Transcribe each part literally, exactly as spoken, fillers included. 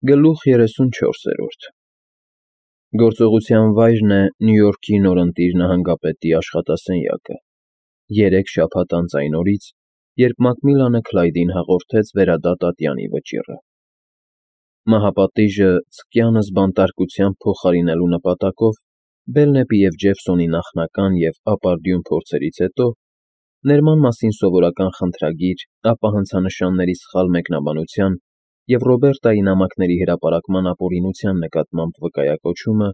Գլուխ երեսունչորսերորդ Գործողության վայրն է Նյու Յորքի նորընտիր նահանգապետի աշխատասենյակը, երեք շաբաթ անց այն օրից, երբ Մակմիլանը Քլայդին հաղորդեց վերադատ ատյանի վճիռը։ Մահապատիժը ցկյանս բանտարկությամբ փոխարինելու նպատակով Բելնեպի և Ջեֆսոնի նախնական և ապարդյուն փորձերից հետո, ներման մասին սովորական խնդրագիր, ապա հանցանշանների սխալ մեկնաբանության և Ռոբերտայի նամակների հրապարակման ապօրինության նկատմամբ վկայակոչումը,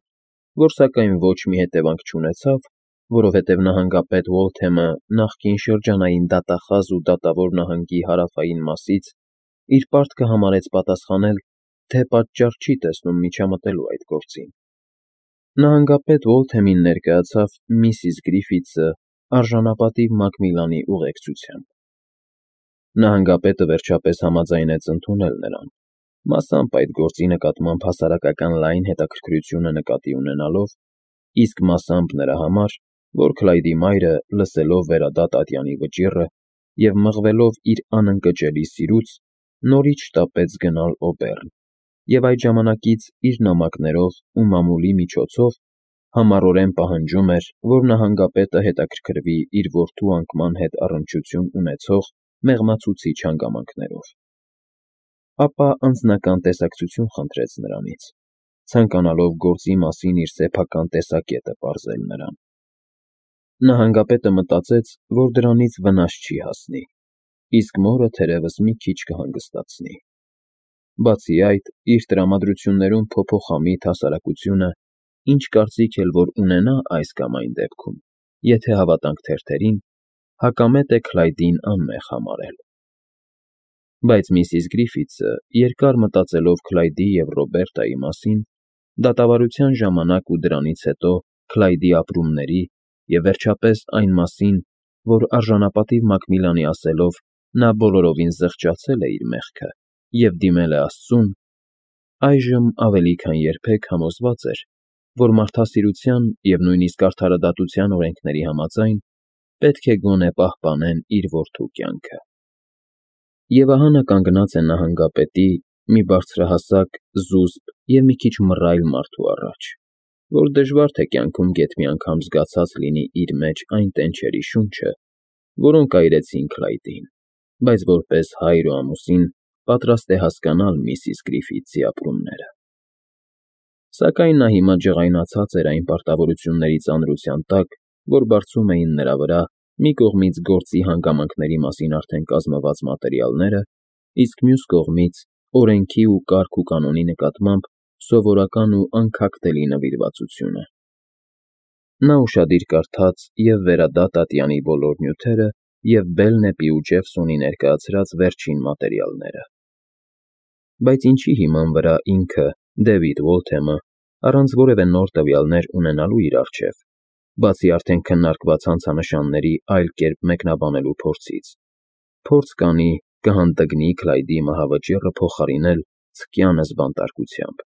որ սակայն ոչ մի հետևանք չունեցավ, որովհետև նահանգապետ Ուոլթեմը նախկին շրջանային դատախազ ու դատավոր նահանգի հարավային մասից իր պարտքը համարեց պատասխանել, թե պատճառ չի տեսնում միջամտելու այդ գործին։ Նահանգապետ Ուոլթեմին ներկայացավ միսիս Գրիֆիթսը արժանապատիվ Մակմիլանի ուղեկցությամբ։ Նահանգապետը վերջապես համաձայնեց ընդունել նրան, մասամբ այդ գործի նկատմամբ հասարակական լայն հետաքրքրությունը նկատի ունենալով, իսկ մասամբ նրա համար, որ Քլայդի մայրը, լսելով վերադատ ատյանի վճիռը և մղվելով իր անընկճելի սիրուց, նորից շտապեց գնալ Օբեռն և այդ ժամանակից իր նամակներով ու մամուլի միջոցով համառորեն պահանջում էր, որ նահանգապետը հետաքրքրվի իր որդու անկման հետ առնչություն ունեցող մեղմացուցիչ հանգամանքներով։ Ապա անձնական տեսակցություն խնդրեց նրանից, ցանկանալով գործի մասին իր սեփական տեսակետը պարզել նրան։ Նահանգապետը մտածեց, որ դրանից վնաս չի հասնի, իսկ մորը թերևս մի քիչ կհանգստացնի։ Բացի այդ, իր տրամադրություններում փոփոխամիտ հասարակությունը, ինչ կարծիք էլ որ ունենա այս կամ այն դեպքում, եթե հավատանք թերթերին, հակամետ է Քլայդին անմեղ համարել։ Բայց միսիս Գրիֆիթսը, երկար մտածելով Քլայդի և Ռոբերտայի մասին, դատավարության ժամանակ ու դրանից հետո Քլայդի ապրումների և վերջապես այն մասին, որ արժանապատիվ Մակմիլանի ասելով նա բոլորովին զղջացել է իր մեղքը և դիմել է Աստծուն, այժմ ավելի քան երբեք համոզված էր, որ մարդասիրության և նույնիսկ արդարադատության օրենքների համաձայն պետք է գոնե պահպանեն իր որդու կյանքը։ Եվ ահա նա կանգնած է նահանգապետի, մի բարձրահասակ, զուսպ և մի քիչ մռայլ մարդու առաջ, որ դժվար թե կյանքում գեթ մի անգամ զգացած լինի իր մեջ այն տենչերի շունչը, որոնք այրեցին Քլայդին, բայց որպես հայր ու ամուսին պատրաստ է հասկանալ միսիս Գրիֆիթսի ապրումները։ Սակայն նա հիմա ջղայնացած էր այն պարտավորությունների ծանրության տակ, որ բարձում էին նրա վրա մի կողմից գործի հանգամանքների մասին արդեն կազմված մատերիալները, իսկ մյուս կողմից օրենքի ու կարգ ու կանոնի նկատմամբ սովորական ու անքակտելի նվիրվածությունը։ Նա ուշադիր կարդաց և վերադատ ատյանի բոլոր նյութերը և Բելնեպի ու Ջեֆսոնի ներկայացրած վերջին մատերիալները։ Բայց ինչի հիման վրա ինքը, Դեվիդ Ուոլթեմը, առանց որևէ նոր տվյալներ ունենալու իր առջև, բացի արդեն քննարկված հանցանշանների այլ կերպ մեկնաբանելու փորձից, փորձ կանի, կհանդգնի Քլայդի մահավճիռը փոխարինել ցկյանս բանտարկությամբ։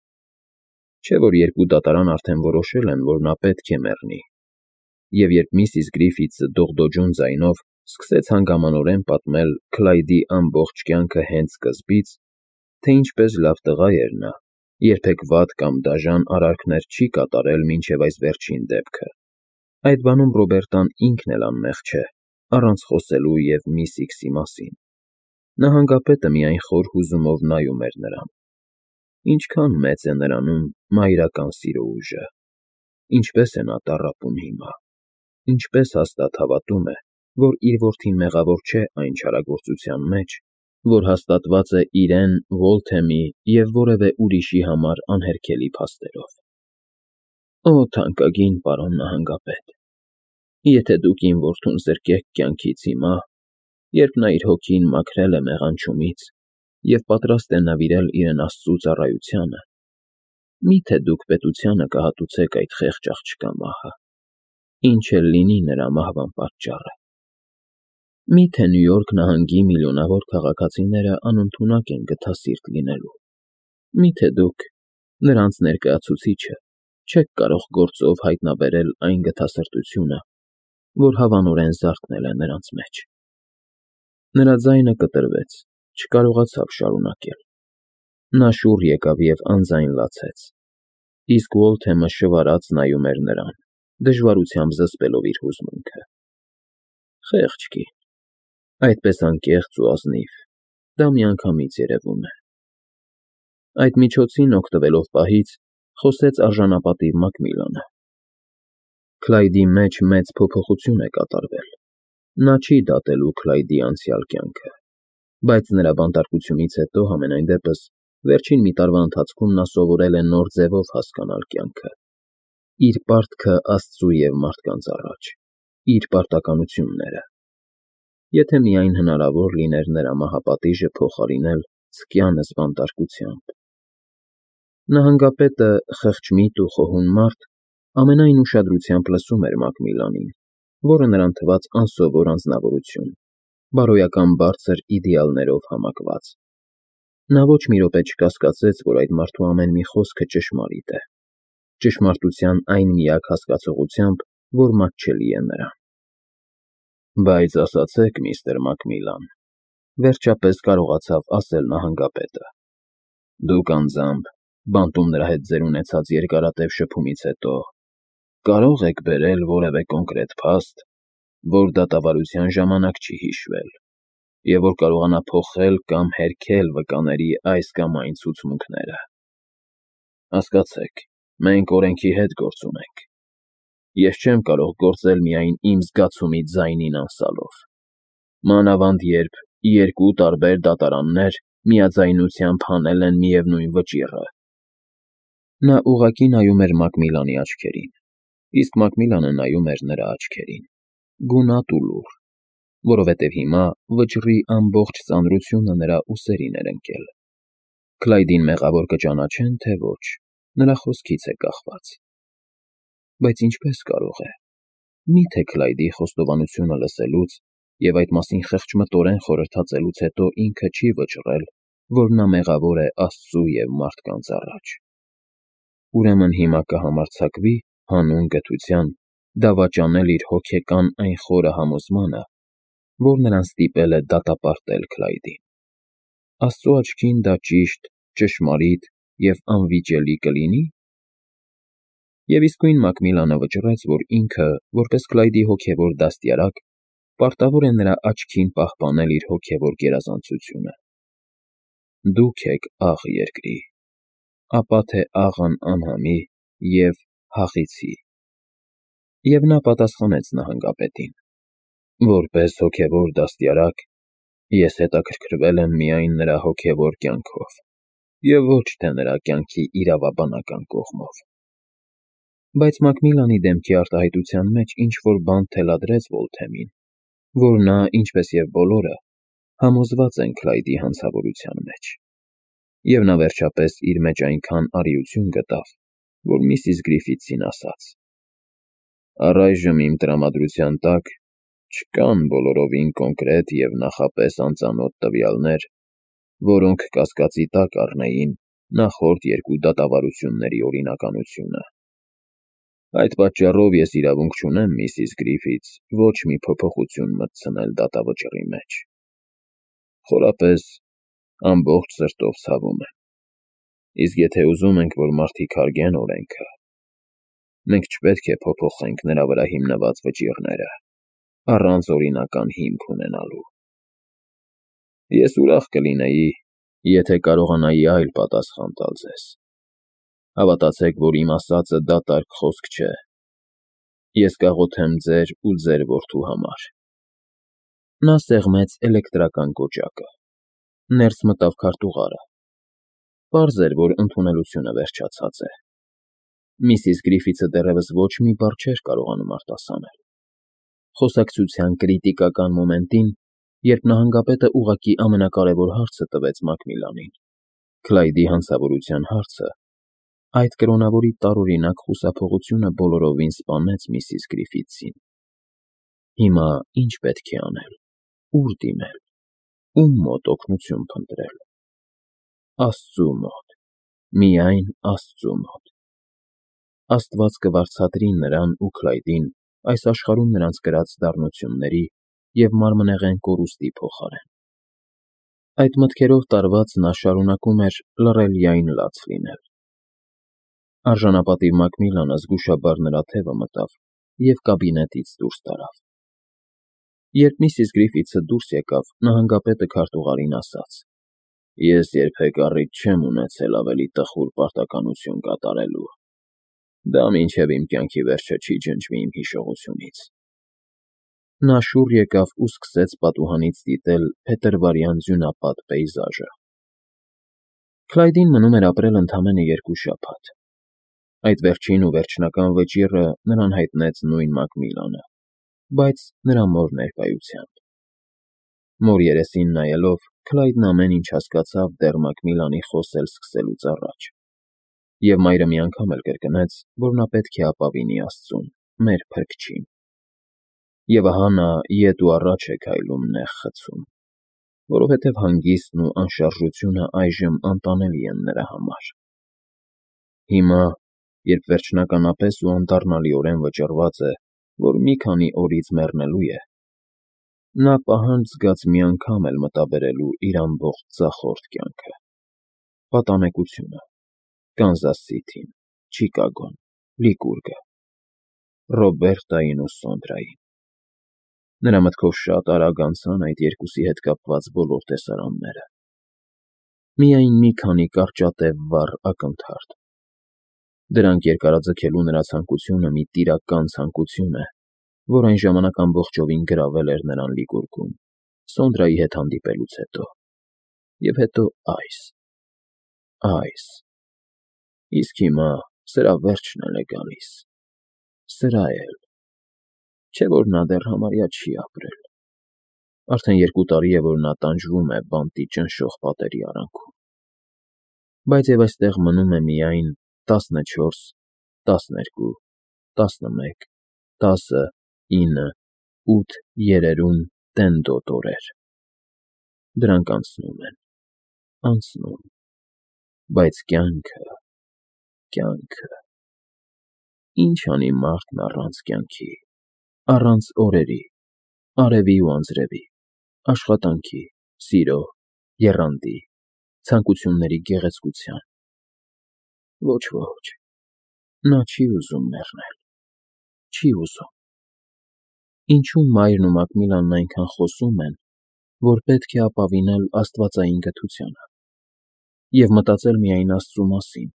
Չէ՞ որ երկու դատարան արդեն որոշել են, որ նա պետք է մեռնի։ Եվ երբ միսիս Գրիֆիթսը դողդոջուն ձայնով սկսեց հանգամանորեն պատմել Քլայդի ամբողջ կյանքը հենց սկզբից, թե ինչպես լավ տղա էր նա, երբեք վատ կամ դաժան արարքներ չի կատարել մինչև այս վերջին դեպքը, այդ բանում Ռոբերտան ինքն էլ անմեղ չէ, առանց խոսելու և միս Իքսի մասին, նահանգապետը միայն խոր հուզումով նայում էր նրան։ Ինչքան մեծ է նրանում մայրական սիրո ուժը, ինչպես է նա տառապում հիմա, ինչպես հաստատ հավատում է, որ իր որդին մեղավոր չէ այն չարագործության մեջ, որ հաստատված է իրեն, Ուոլթեմի և որևէ ուրիշի համար անհերքելի փաստերով։ Օ, թանկագին պարոն նահանգապետ, եթե դուք իմ որդուն զրկեք կյանքից հիմա, երբ նա իր հոգին մաքրել է մեղանչումից և պատրաստ է նվիրել իրեն Աստծու ծառայությանը, մի՞թե դուք պետությանը կհատուցեք այդ խեղճ աղջկա մահը, ինչ էլ լինի նրա մահվան պատճառը։ Մի՞թե Նյու Յորք նահանգի միլիոնավոր քաղաքացիները անընդունակ են գթասիրտ լինելու։ Մի՞թե դուք, նրանց ներկայացուցիչը, չեք կարող գործով հայտնաբերել այն գթասրտությունը, որ հավանորեն զարթնել է նրանց մեջ։ Նրա ձայնը կտրվեց, չկարողացավ շարունակել։ Նա շուռ եկավ և անձայն լացեց, իսկ Ուոլթեմը շվարած նայում էր նրան, դժվարությամբ զսպելով իր հուզմունքը։ Խեղճ կին, այդպես անկեղծ ու ազնիվ, դա միանգամից երևում է։ Այդ միջոցին օգտվելով պահից, խոսեց արժանապատիվ Մակմիլանը. Քլայդի մեջ մեծ փոփոխություն է կատարվել։ Նա չի դատելու Քլայդի անցյալ կյանքը, բայց նրա բանտարկությունից հետո, համենայն դեպս, վերջին մի տարվա ընթացքում նա սովորել է նոր ձևով հասկանալ կյանքը, իր պարտքը Աստծու և մարդկանց առաջ, իր պարտականությունները, եթե միայն հնարավոր լիներ նրա մահապատիժը փոխարինել ցկյանս բանտարկությամբ։ Նահանգապետը, խեղճմիտ ու խոհուն մարդ, ամենայն ուշադրությամբ լսում էր Մակմիլանին, որը նրան թվաց անսովոր անձնավորություն, բարոյական բարձր իդեալներով համակված։ Նա ոչ մի րոպե չկասկածեց, որ այդ մարդու ամեն մի խոսքը ճշմարիտ է, ճշմարտության այն միակ հասկացողությամբ, որ մատչելի է նրան։ Բայց ասացեք, միստր Մակմիլան, վերջապես կարողացավ ասել նահանգապետը, դուք անձամբ, բանտում նրա հետ ձեր ունեցած երկարատև շփումից հետո, կարո՞ղ եք բերել որևէ կոնկրետ փաստ, որ դատավարության ժամանակ չի հիշվել, և որ կարողանա փոխել կամ հերքել վկաների այս կամ այն ցուցմունքները։ Հասկացեք, մենք օրենքի հետ գործ ունենք։ Ես չեմ կարող գործել միայն իմ զգացումի ձայնին անսալով, մանավանդ երբ երկու տարբեր դատարաններ միաձայնությամբ հանել են միևնույն վճիռը։ Նա ուղղակի նայում էր Մակմիլանի աչքերին, իսկ Մակմիլանը նայում էր նրա աչքերին, գունատ ու լուռ, որովհետև հիմա վճռի ամբողջ ծանրությունը նրա ուսերին էր ընկել։ Քլայդին մեղավոր կճանաչեն, թե ոչ, նրա խոսքից է կախված։ Բայց ինչպես կարող է։ Մի՞թե Քլայդի խոստովանությունը լսելուց և այդ մասին խեղճմտորեն խորհրդածելուց հետո ինքը չի վճռել, որ նա մեղավոր է Աստծու և մարդկանց առաջ։ Ուրեմն հիմա կհամարձակվի հանուն գթության դավաճանել իր հոգեկան այն խորը համոզմանը, որ նրան ստիպել է դատապարտել Քլայդին։ Աստծու աչքին դա ճիշտ, ճշմարիտ և անվիճելի կլինի՞։ Եվ իսկույն Մակմիլանը վճռեց, որ ինքը, որպես Քլայդի հոգևոր դաստիարակ, պարտավոր է նրա աչքին պահպանել իր հոգևոր գերազանցությունը։ Դուք եք աղ երկրի, ապա թե աղն անհամի և հախիցի։ Եվ նա պատասխանեց նահանգապետին. Որպես հոգևոր դաստիարակ, ես հետաքրքրվել եմ միայն նրա հոգևոր կյանքով և ոչ թե նրա կյանքի իրավաբանական կողմով։ Բայց Մակմիլանի դեմքի արտահայտության մեջ ինչ-որ բան թելադրեց Ուոլթեմին, որ նա, ինչպես և բոլորը, համոզված են Քլայդի հանցավորության մեջ, և նա վերջապես իր մեջ այնքան արիություն գտավ, որ միսիս Գրիֆիթսին ասաց. Առայժմ իմ տրամադրության տակ չկան բոլորովին կոնկրետ և նախապես անծանոթ տվյալներ, որոնք կասկածի տակ առնեին նախորդ երկու դատավարությունների օրինականությունը։ Այդ պատճառով ես իրավունք չունեմ, միսիս Գրիֆիթս, ոչ մի փոփոխություն մտցնել դատավճռի մեջ։ Խորապես, ամբողջ սրտով ցավում եմ։ Իսկ եթե ուզում ենք, որ մարդիկ հարգեն օրենքը, մենք չպետք է փոփոխենք նրա վրա հիմնված վճիռները, առանց օրինական հիմք ունենալու։ Ես ուրախ կլինեի, եթե կարողանայի այլ պատասխան տալ ձեզ։ Հավատացեք, որ իմ ասածը դատարկ խոսք չէ։ Ես կաղոթեմ ձեր ու ձեր որդու համար։ Նա սեղմեց էլեկտրական կոճակը, ներս մտավ քարտուղարը։ Պարզ էր, որ ընդունելությունը վերջացած է։ Միսիս Գրիֆիթսը դեռևս ոչ մի բառ չէր կարողանում արտասանել։ Խոսակցության կրիտիկական մոմենտին, երբ նահանգապետը ուղղակի ամենակարևոր հարցը տվեց Մակմիլանին, Քլայդի հանցավորության հարցը, այդ կրոնավորի տարօրինակ խուսափողությունը բոլորովին սպանեց միսիս Գրիֆիթսին։ Հիմա ի՞նչ պետք է անել, ո՞ւր դիմել, ո՞ւմ մոտ օգնություն փնտրել։ Աստծու մոտ, միայն Աստծու մոտ։ Աստված կվարձատրի նրան ու Քլայդին այս աշխարհում նրանց կրած դառնությունների և մարմնեղեն կորուստի փոխարեն։ Այդ մտքերով տարված նա շարունակում էր լռելիայն լաց լինել։ Արժանապատիվ Մակմիլանը զգուշաբար նրա թևը մտավ և կաբինետից դուրս տարավ։ Երբ միսիս Գրիֆիթսը դուրս եկավ, նահանգապետը քարտուղարին ասաց. «Ես երբեք առիթ չեմ ունեցել ավելի տխուր պարտականություն կատարելու։ Դա մինչև իմ կյանքի վերջը չի ջնջվի իմ հիշողությունից»։ Նա շուռ եկավ ու սկսեց պատուհանից դիտել փետրվարյան ձյունապատ պեյզաժը։ Քլայդին մնում էր ապրել ընդամենը երկու շաբաթ։ Այդ վերջին ու վերջնական վճիռը նրան հայտնեց նույն Մակմիլանը, բայց նրա մոր ներկայությամբ։ Մոր երեսին նայելով, Քլայդն ամեն ինչ հասկացավ դեռ Մակմիլանի խոսել սկսելուց առաջ, և մայրը մի անգամ էլ կրկնեց, որ նա պետք է ապավինի Աստծուն, մեր Փրկչին։ Եվ ահա նա ետ ու առաջ է քայլում նեղ խցում, որովհետև հանգիստն ու անշարժությունը այժմ անտանելի են նրա համար։ Հիմա, երբ վերջնականապես ու անդառնալիորեն վճռված է, որ մի քանի օրից մեռնելու է, նա պահանջ զգաց մի անգամ էլ մտաբերելու իր ամբողջ ձախորդ կյանքը, պատանեկությունը, Կանզաս Սիթին, Չիկագոն, Լիկուրգը, Ռոբերտային ու Սոնդրային։ Նրա մտքով շատ արագ անցան այդ երկուսի հետ կապված բոլոր տեսարանները։ Միայն մի քանի կարճատև վառ ակնթարթ։ Դրանք երկարաձգելու նրա ցանկությունը մի տիրական ցանկություն է, որ այն ժամանակ ամբողջովին գրավել էր նրան Լիկուրգում, Սոնդրայի հետ հանդիպելուց հետո։ Եվ հետո այս, այս… Իսկ հիմա սրա վերջն էլ է գալիս, սրա էլ… Չէ՞ որ նա դեռ համարյա չի ապրել։ Արդեն երկու տարի է, որ նա տանջվում է բանտի ճնշող պատերի արանքում։ Բայց և այստեղ մնում է միայն տասնչորս, տասներկու, տասնմեկ, տասը, ինը, ութ երերուն տենդոտ օրեր։ Դրանք անցնում են, անցնում… Բայց կյանքը… կյանքը… Ինչ անի մարդն առանց կյանքի, առանց օրերի, արևի ու անձրևի, աշխատանքի, սիրո, եռանդի, ցանկությունների գեղեցկության… Ոչ, ոչ… Նա չի ուզում մեռնել, չի ուզում… Ինչու մայրն ու Մակմիլանն այնքան խոսում են, որ պետք է ապավինել աստվածային գթությանը և մտածել միայն Աստծու մասին,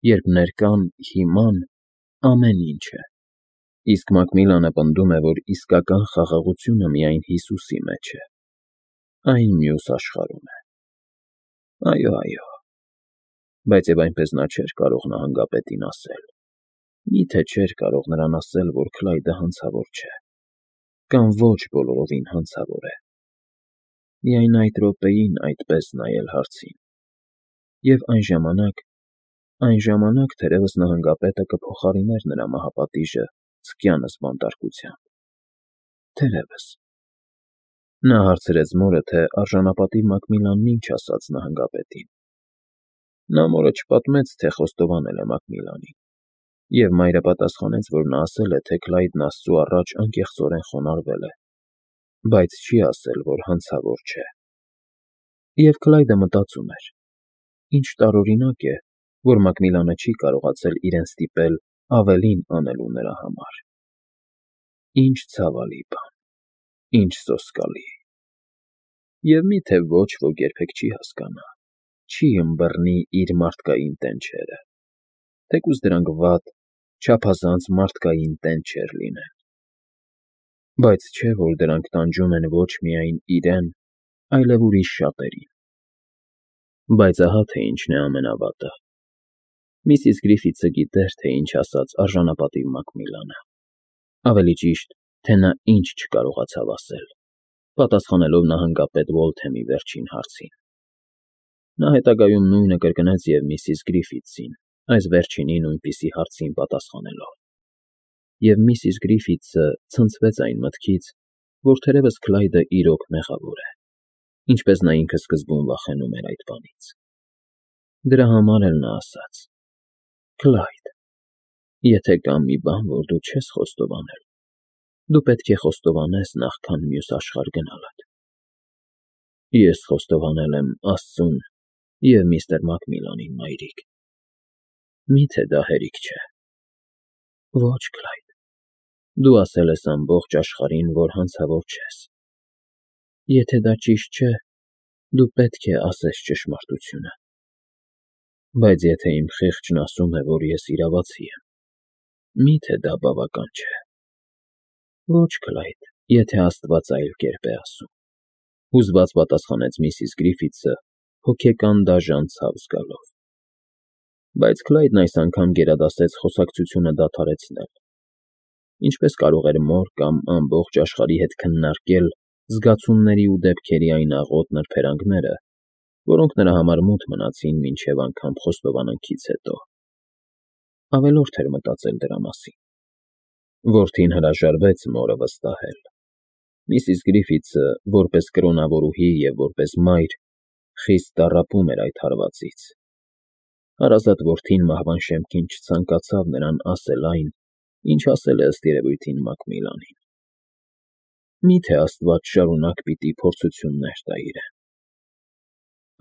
երբ ներկան, հիման ամեն ինչ է, իսկ Մակմիլանը պնդում է, որ իսկական խաղաղությունը միայն Հիսուսի մեջ է, այն մյուս աշխարհում է։ Այո, այո… Բայց և այնպես նա չէր կարող նահանգապետին ասել։ Մի՞թե չէր կարող նրան ասել, որ Քլայդը հանցավոր չէ, կամ ոչ բոլորովին հանցավոր է։ Միայն այդ րոպեին այդպես նայել հարցին… Եվ այն ժամանակ… այն ժամանակ թերևս նահանգապետը կփոխարիներ նրա մահապատիժը ցկյանս բանտարկությամբ… Թերևս… Նա հարցրեց մորը, թե արժանապատիվ Մակմիլանն ինչ ասաց նահանգապետին։ Նա մորը չպատմեց, թե խոստովանել է Մակմիլանին, և մայրը պատասխանեց, որ նա ասել է, թե Քլայդն Աստծու առաջ անկեղծորեն խոնարհվել է, բայց չի ասել, որ հանցավոր չէ։ Եվ Քլայդը մտածում էր. ինչ տարօրինակ է, որ Մակմիլանը չի կարողացել իրեն ստիպել ավելին անելու նրա համար։ Ինչ ցավալի բան… Ինչ սոսկալի… Եվ մի՞թե ոչ ոք երբեք չի հասկանա, չի ըմբռնի իր մարդկային տենչերը, թեկուզ դրանք վատ, չափազանց մարդկային տենչեր լինեն։ Բայց չէ՞ որ դրանք տանջում են ոչ միայն իրեն, այլև ուրիշ շատերին։ Բայց ահա թե ինչն է ամենավատը. միսիս Գրիֆիթսը գիտեր, թե ինչ ասաց արժանապատիվ Մակմիլանը, ավելի ճիշտ, թե նա ինչ չկարողացավ ասել, պատասխանելով նահանգապետ Ուոլթեմի վերջին հարցին։ Նա հետագայում նույնը կրկնեց և միսիս Գրիֆիթսին, այս վերջինի նույնպիսի հարցին պատասխանելով։ Եվ միսիս Գրիֆիթսը ցնցվեց այն մտքից, որ թերևս Քլայդը իրոք մեղավոր է, ինչպես նա ինքը սկզբում վախենում էր այդ բանից։ Դրա համար էլ նա ասաց. «Քլայդ, եթե կա մի բան, որ դու չես խոստովանել, դու պետք է խոստովանես նախքան մյուս աշխարհ գնալդ»։ Ես խոստովանել եմ Աստծուն և միստր Մակմիլանին, մայրիկ։ Մի՞թե դա հերիք չէ։ Ոչ, Քլայդ, դու ասել ես ամբողջ աշխարհին, որ հանցավոր չես։ Եթե դա ճիշտ չէ, դու պետք է ասես ճշմարտությունը։ Բայց եթե իմ խիղճն ասում է, որ ես իրավացի եմ, մի՞թե դա բավական չէ։ Ոչ, Քլայդ, եթե Աստված այլ կերպ է ասում, հուզված պատասխանեց միսիս Գրիֆիթսը հոգեկան դաժան ցավ զգալով։ Բայց Քլայդն այս անգամ գերադասեց խոսակցությունը դադարեցնել։ Ինչպես կարող էր մոր կամ ամբողջ աշխարհի հետ քննարկել զգացումների ու դեպքերի այն աղոտ նրբերանգները, որոնք նրա համար մութ մնացին մինչև անգամ խոստովանանքից հետո։ Ավելորդ էր մտածել դրա մասին։ Որդին հրաժարվեց մորը վստահել։ Միսիս Գրիֆիթսը, որպես կրոնավորուհի և որպես մայր, խիստ տառապում էր այդ հարվածից։ Հարազատ որդին մահվան շեմքին չցանկացավ նրան ասել այն, ինչ ասել է ըստ երևույթին Մակմիլանին։ Մի՞թե Աստված շարունակ պիտի փորձություններ տա իրեն։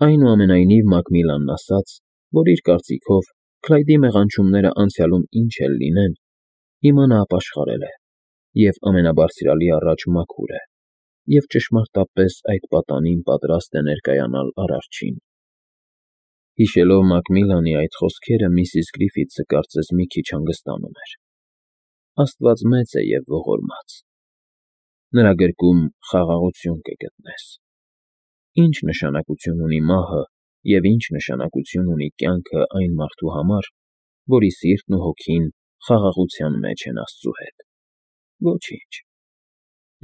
Այնուամենայնիվ Մակմիլանն ասաց, որ իր կարծիքով Քլայդի մեղանչումները անցյալում ինչ էլ լինեն, հիմա նա ապաշխարել է և ամենաբարձրյալի առաջ մաքուր է և ճշմարտապես այդ պատանին պատրաստ է ներկայանալ Արարչին։ Հիշելով Մակմիլանի այդ խոսքերը, միսիս Գրիֆիթսը կարծես մի քիչ հանգստանում էր։ Աստված մեծ է և ողորմած։ Նրա գրկում խաղաղություն կգտնես։ Ինչ նշանակություն ունի մահը և ինչ նշանակություն ունի կյանքը այն մարդու համար, որի սիրտն ու հոգին խաղաղության մեջ են Աստծու հետ։ Ոչինչ։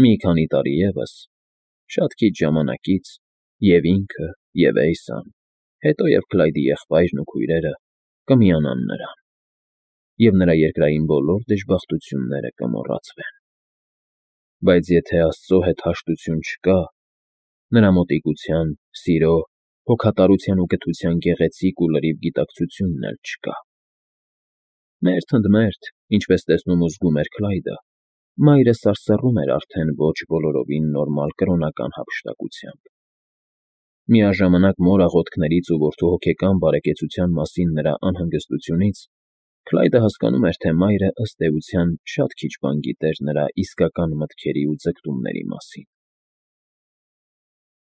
Մի քանի տարի ևս, շատ քիչ ժամանակից, և ինքը, և Էյսան, հետո և Քլայդի եղբայրն ու քույրերը կմիանան նրան, և նրա երկրային բոլոր դժբախտությունները կմոռացվեն։ Բայց եթե Աստծո հետ հաշտություն չկա, նրա մոտիկության, սիրո, հոգատարության ու կթության գեղեցիկ ու լրիվ գիտակցությունն էլ չկա։ Մերթ ընդ մերթ, ինչպես տեսնում ու զգում էր Քլայդը, մայրը սարսռում էր արդեն ոչ բոլորովին նորմալ կրոնական հափշտակությամբ։ Միաժամանակ մոր աղոթքներից ու որդու հոգեկան բարեկեցության մասին նրա անհանգստությունից Քլայդը հասկանում էր, թե մայրը, ըստ էության, շատ քիչ բան գիտեր նրա իսկական մտքերի ու ձգտումների մասին։